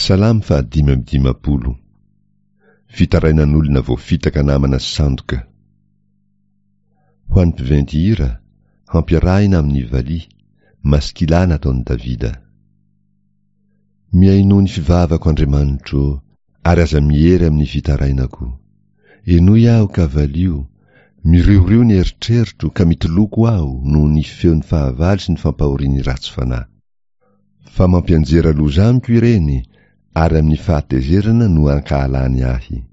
Salamo faha-55. Fitarainan'olona voafitaka namana sandoka. Ho an'ny mpiventy hira, hampiarahina amin'ny valiha, maskila nataon'i Davida. Mihainoa ny fivavako Andriamanitro ô, ary aza miery amin'ny fitarainako. Henoy aho ka valio, miriorio ny eritreritro ka mitoloko aho noho ny feon'ny fahavalo sy ny fampahorian'ny ratsy fanahy. Fa mampianjera loza amiko ireny, ary amin'ny fahatezerana no ankahalany ahy.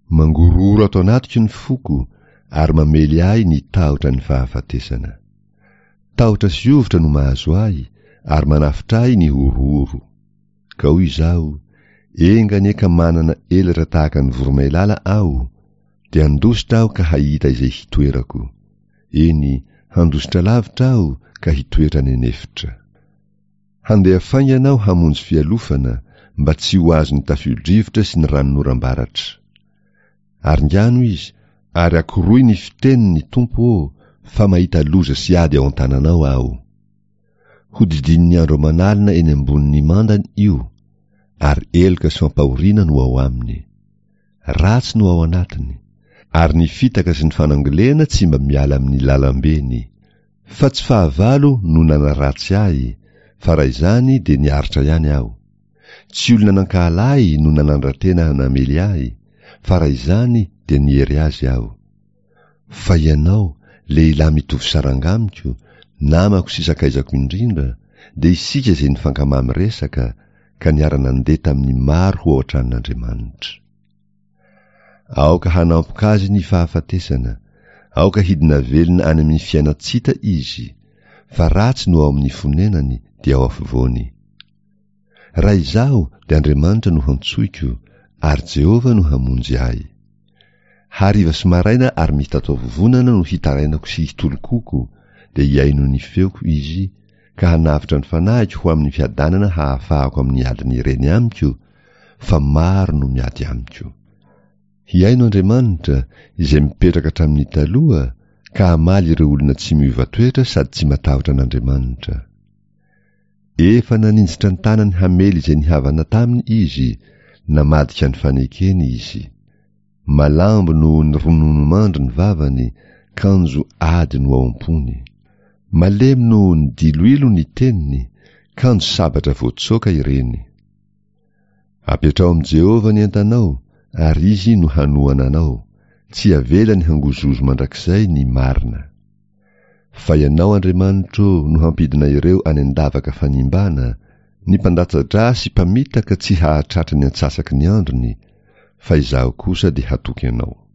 Mangorohoro ato anatiko ny foko, ary mamely ahy ny tahotra ny fahafatesana. Tahotra sy hovitra no mahazo ahy, ary manafotra ahy ny horohoro. Ka hoy izaho, Enga anie ka manana elatra tahaka ny voromailala aho, dia handositra aho ka hahita izay hitoerako. Eny, handositra lavitra aho ka hitoetra any an'efitra. Handeha faingana aho hamonjy fialofana, mba tsy ho azon'ny tafio-drivotra sy ny ranonoram-baratra. Aringano izy, ary akoroy ny fiteniny, Tompo ô, fa mahita loza sy ady ao an-tananao aho. Hodidinin'ny andro aman'alina eny ambonin'ny mandany io, ary eloka sy fampahoriana no ao aminy. Ratsy no ao anatiny, ary ny fitaka sy ny fanangolena tsy mba miala amin'ny lalambeny. Fa tsy fahavalo no nanaratsy ahy, fa raha izany dia niaritra ihany aho. Tsy olona nankahala ahy no nanandra-tena namely ahy, fa raha izany dia niery azy aho. Fa ianao, lehilahy mitovy saranga amiko, namako sy sakaizako indrindra, dia isika izay nifankamamy resaka, ka niara-nandeha tamin'ny maro ho ao an-tranon'Andriamanitra. Aoka hanampoka azy ny fahafatesana, aoka hidina velona any amin'ny fiainan-tsita izy, fa ratsy no ao amin'ny fonenany dia ao afovoany. Raha izaho dia Andriamanitra no hantsoiko, ary Jehovah no hamonjy ahy. Hariva sy maraina ary mitataovovonana no hitarainako sy hitolokoko, dia hihaino ny feoko Izy, ka hanavotra ny fanahiko ho amin'ny fiadanana hahafahako amin'ny adin'ny reny amiko, fa maro no miady amiko. Hihaino Andriamanitra, izay mipetraka hatramin'ny taloha, ka hamaly ireo olona tsy miova toetra sady tsy matahotra an'Andriamanitra. Efa naninjitra ny tanany hamely izay nihavana taminy izy, namadika ny fanekeny izy. Malambo noho ny rononomandry ny vavany, kanjo ady no ao am-pony. Malemy noho ny diloilo ny teniny, kanjo sabatra voatsoaka ireny. Apetraho amin'i Jehovah ny entanao, ary Izy no hanohana anao, tsy havelany hangozohozo mandrakizay ny marina. Fa Ianao, Andriamanitro, no hampidina ireo any an-davaka fanimbana, ny mpandatsa-drà sy mpamitaka tsy hahatratra ny antsasaky ny androny, fa izaho kosa dia hatoky Anao.